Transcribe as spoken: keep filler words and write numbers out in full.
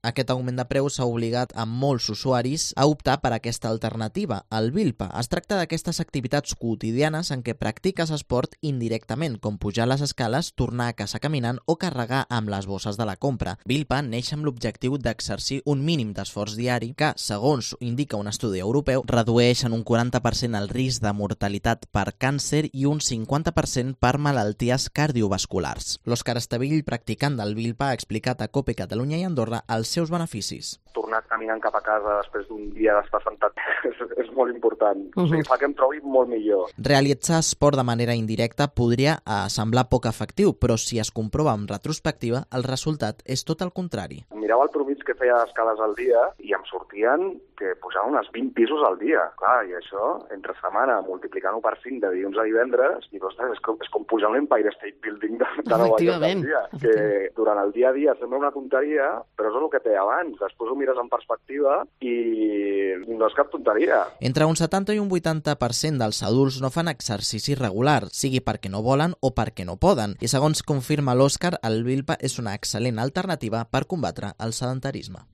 Aquest augment de preus s'ha obligat a molts usuaris a optar per aquesta alternativa, el Vilpa. Es tracta d'aquestes activitats quotidianes en què practiques esport indirectament, com pujar les escales, tornar a casa caminant o carregar amb les bosses de la compra. Vilpa neix amb l'objectiu d'exercir un mínim d'esforç diari que, segons indica un estudi europeu, redueix en un quaranta per cent el risc de mortalitat per càncer i un cinquanta per cent per malalties cardiovasculars. L'Òscar Estavill, practicant del Vilpa, ha explicat a COPE Catalunya i Andorra els seus beneficis. Tornar caminant cap a casa després d'un dia d'estar sentat és, és molt important. Uh-huh. O sigui, fa que em trobi molt millor. Realitzar esport de manera indirecta podria eh, semblar poc efectiu, però si es comprova en retrospectiva, el resultat és tot el contrari. Mirava el promig que feia escales al dia i em sortien que pujava unes vint pisos al dia. Clar, i això, entre setmana, multiplicant-ho per cinc de dilluns a divendres, i ostres, és, com, és com pujar un Empire State Building de, de Nova York al dia. Que durant el dia a dia sembla una tonteria, però és el que té abans. Després ho mires en perspectiva i no és cap tonteria. Entre un setanta i un vuitanta per cent dels adults no fan exercici regular, sigui perquè no volen o perquè no poden. I segons confirma l'Òscar, el Vilpa és una excel·lent alternativa per combatre el sedentarisme.